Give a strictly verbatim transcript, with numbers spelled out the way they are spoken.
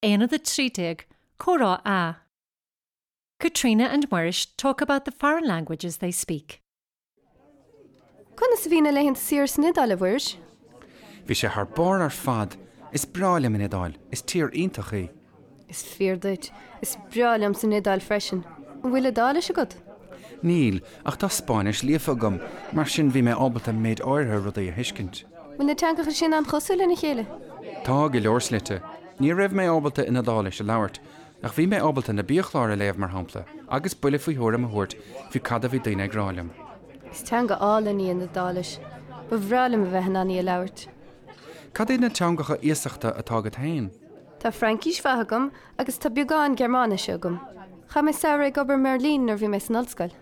Aonad a trí déag, Comhrá A. Caitríona and Muiris talk about the foreign languages they speak. Conas a bhí na laethanta saoire san Iodáil, a Mhuiris? Bhí sé thar barr ar fad, is breá liom an Iodáil, is tír iontach í. Is fíor duit, is breá liom san Iodáil freisin. An bhfuil Iodáilis agat? Níl, ach tá Spáinnis líofa agam, mar sin bhí mé ábalta méid áirithe rudaí a thuiscint. Bhfuil na teangacha sin an-chosúil lena chéile? Tá go leor slite. Ní raibh mé ábalta an Iodáilis a labhairt, ach bhí mé ábalta na biachláir a léamh mar shampla, agus buille faoi thuairim a thabhairt faoi cad a bhí daoine ag rá liom. Is teanga álainn í an Iodáilis. Ba bhreá liom a bheith in ann í a labhairt. Cad iad na teangacha iasachta atá agat féin? Tá Fraincis mhaith agam agus tá beagán Gearmáinise agam. Chaith mé samhradh ag obair i mBeirlín nuair a bhí mé san ollscoil.